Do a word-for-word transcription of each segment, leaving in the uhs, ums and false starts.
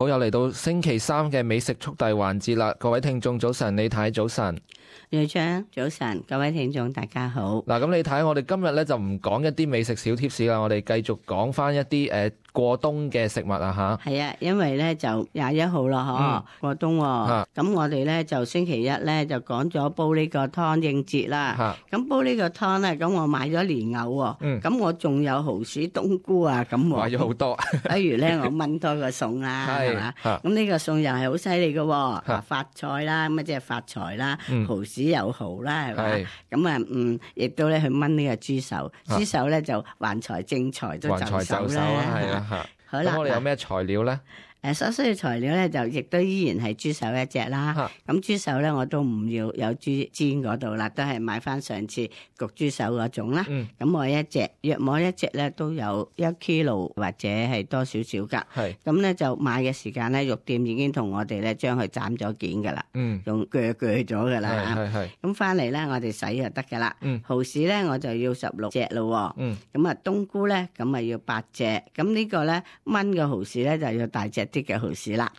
好，又嚟到星期三嘅美食速遞環節啦！各位聽眾早晨，李太早晨，瑞章早晨，各位聽眾大家好。嗱，咁你睇我哋今日咧就唔講一啲美食小貼士啦，我哋繼續講翻一啲誒、呃、過冬嘅食物啊吓。係啊，因為咧就廿一號啦，嗬、嗯，過冬喎、哦。咁、啊、我哋咧就星期一咧就講咗煲呢個湯應節啦。咁、啊、煲呢個湯咧，咁我買咗蓮藕喎。咁、嗯、我仲有蠔豉冬菇啊，咁我買咗好多。不如咧我炆多個餸啦，係嘛？咁呢個餸又係好犀利嘅，發菜啦，咁啊即係發財啦，蠔豉有蠔啦，係嘛？咁啊，嗯，亦都咧去炆呢個豬手，豬手咧就橫財正財都就手啦，係啊。好啦，咁我哋有咩材料咧？誒，所需嘅材料咧就亦都依然係豬手一隻啦。咁豬手咧我都唔要有豬煎嗰度啦，都係買翻上次焗豬手嗰種啦。咁、嗯、我一隻約摸一隻咧都有一 kilo 或者係多少少噶。咁咧就買嘅時間咧，肉店已經同我哋咧將佢斬咗件噶啦，用鋸鋸咗噶啦。咁翻嚟咧我哋洗就得噶啦。蠔豉咧我就要十六隻咯。咁啊冬菇咧咁啊要八隻。咁呢個咧炆嘅蠔豉咧就要大隻啲嘅蠔豉啦，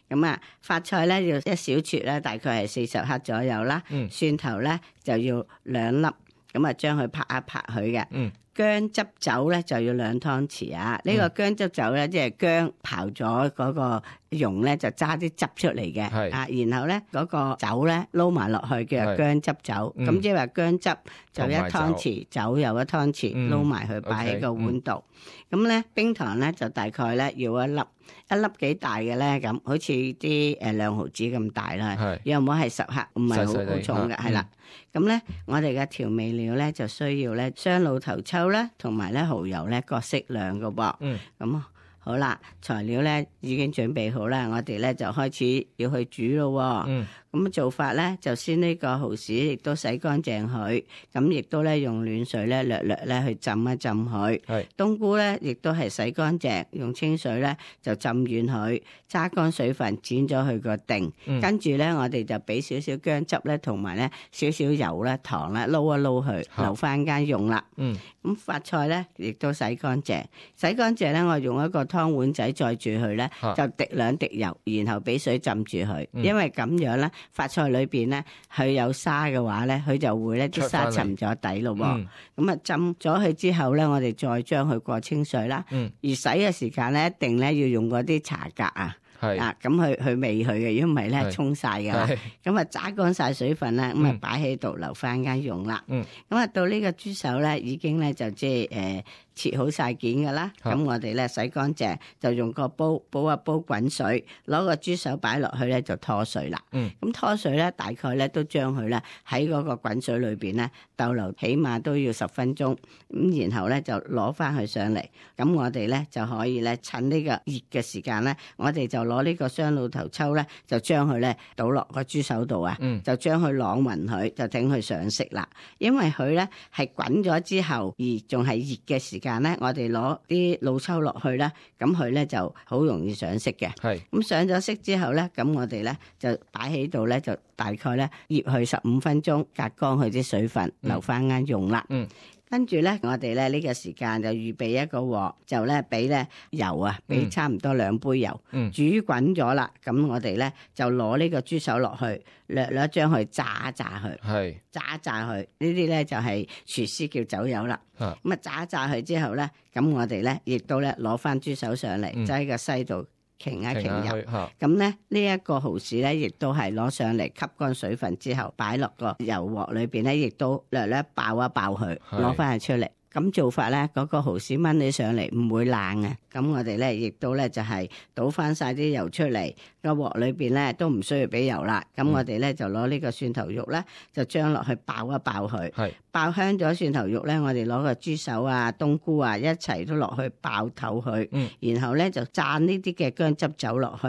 咁啊發菜咧要一小撮咧，大概係四十克左右啦。嗯、蒜頭咧就要兩粒，咁啊將佢拍一拍佢嘅。嗯、薑汁酒咧就要兩湯匙啊。呢、嗯、個薑汁酒咧即係薑刨咗嗰個蓉咧就揸啲汁出嚟嘅，啊，然後咧嗰個酒咧撈埋落去叫做薑汁酒，咁即係話薑汁就一湯匙，酒又一湯匙，撈埋佢擺喺個碗度。咁咧冰糖咧就大概咧要一粒，一粒幾大嘅咧咁，好似啲誒兩毫子咁大啦，又唔好係十克，唔係好好重嘅，係啦。咁咧我哋嘅調味料咧就需要咧雙老頭抽啦，同埋咧蠔油咧各適量嘅噃，咁。好啦，材料咧已經準備好啦，我哋咧就開始要去煮咯。嗯，咁做法咧就先呢個蠔豉亦都洗乾淨佢，咁亦都咧用暖水咧略略咧去浸一浸佢。係，冬菇咧亦都係洗乾淨，用清水咧就浸軟佢，揸乾水分，剪咗佢個定。嗯，跟住咧我哋就俾少少薑汁咧，同埋咧少少油咧、糖咧撈一撈佢，留翻間用啦。嗯，咁發菜咧亦都洗乾淨，洗乾淨咧我用一個湯碗仔載住佢咧，就滴兩滴油，然後俾水浸住佢，嗯、因為咁樣咧，發菜裏邊咧佢有沙嘅話咧，佢就會咧啲沙沉咗底咯。咁啊、嗯、浸咗佢之後咧，我哋再將佢過清水啦。嗯、而洗嘅時間咧，一定咧要用嗰啲茶格啊。係啊，咁去去味佢嘅，如果唔係咧沖晒噶，咁啊揸乾晒水分啦，咁啊擺喺度留翻間用啦。咁啊、嗯、到呢個豬手咧，已經咧就即係誒切好晒件噶啦。咁、嗯、我哋咧洗乾淨，就用個煲煲一煲滾水，攞個豬手擺落去咧就拖水啦。咁、嗯、拖水咧大概咧都將佢咧喺嗰個滾水裏邊咧逗留，起碼都要十分鐘。咁然後咧就攞翻佢上嚟，咁我哋咧就可以咧趁呢個熱嘅時間咧，我哋就攞呢個雙老頭抽咧，就將佢咧倒落個豬手度啊，嗯、就將佢晾勻佢，就整佢上色啦。因為佢咧係滾咗之後，而仲係熱嘅時間咧，我哋攞啲老抽落去咧，咁佢咧就好容易上色嘅。係咁是上咗色之後咧，咁我哋咧就擺喺度咧，就大概咧醃佢十五分鐘，隔乾佢啲水分，嗯、留翻間用啦。嗯跟住咧，我哋咧呢個時間就預備一個鑊，就咧俾咧油啊，俾差唔多兩杯油，嗯、煮滾咗啦。咁我哋咧就攞呢個豬手落去，略略將佢炸一炸佢，係炸一炸佢。呢啲咧就係廚師叫走油啦。咁啊炸一炸佢之後咧，咁我哋咧亦都咧攞翻豬手上嚟，就喺個西度。傾一傾油，咁咧呢一個蠔豉咧，亦都係攞上嚟吸乾水分之後，擺落個油鑊裏邊咧，亦都略略爆一爆佢，攞翻佢出嚟。咁做法咧，嗰個蠔豉炆起上嚟唔會爛嘅。咁我哋咧亦都咧就係倒翻晒啲油出嚟，個鑊裏邊咧都唔需要俾油啦。咁我哋咧就攞呢個蒜頭肉咧，就將落去爆一爆佢，係爆香咗蒜頭肉咧，我哋攞個豬手啊、冬菇啊一齊都落去爆透佢，嗯、然後咧就蘸呢啲嘅薑汁酒落去，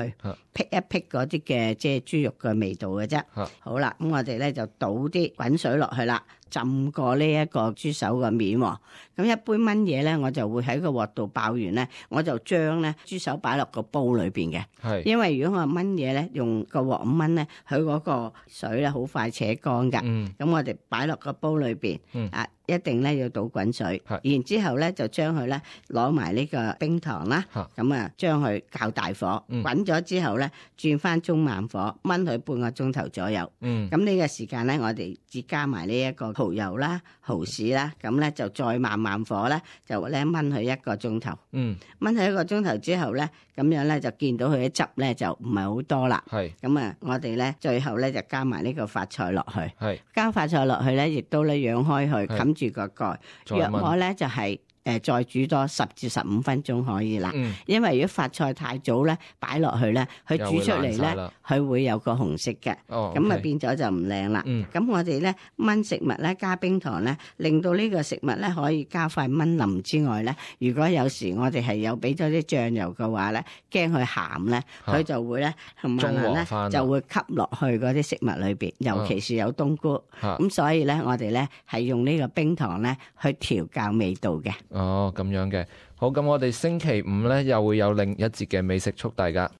辟一辟嗰啲嘅即係豬肉嘅味道嘅啫。啊、好啦，咁我哋咧就倒啲滾水落去啦。浸過呢一個豬手嘅面，咁咁一般炆嘢咧，我就會喺個鑊度爆完咧，我就將咧豬手擺落個煲裏邊嘅。係，因為如果我炆嘢咧，用個鑊咁炆咧，佢嗰個水咧好快扯乾噶。嗯，咁我哋擺落個煲裏邊。嗯，啊。一定咧要倒滾水，然之後咧就將佢咧攞埋呢個冰糖啦，咁啊將佢較大火滾咗之後咧轉翻中慢火炆佢半個鐘頭左右。咁呢、嗯、個時間咧我哋只加埋呢一個蠔油啦、蠔豉啦，咁咧就再慢慢火咧就咧炆佢一個鐘頭。嗯，炆佢一個鐘頭之後咧，咁樣咧就見到佢啲汁咧就唔係好多啦。係，咁啊我哋咧最後咧就加埋呢個發菜落去。係，加發菜落去咧，亦都咧養開佢，冚住個蓋，約我咧就係、是。誒再煮多十至十五分鐘可以啦，嗯、因為如果發菜太早咧擺落去咧，佢煮出嚟咧，佢會有個紅色嘅，咁啊、哦 okay. 變咗就唔靚啦。咁、嗯、我哋咧炆食物咧加冰糖咧，令到呢個食物咧可以加快炆腍之外咧，如果有時我哋係有俾咗啲醬油嘅話咧，驚佢鹹咧，佢、啊、就會咧慢慢咧就會吸落去嗰啲食物裏邊，尤其是有冬菇。咁、啊、所以咧我哋咧係用呢個冰糖咧去調校味道嘅。哦，咁樣嘅，好，咁我哋星期五咧又會有另一節嘅美食速遞㗎。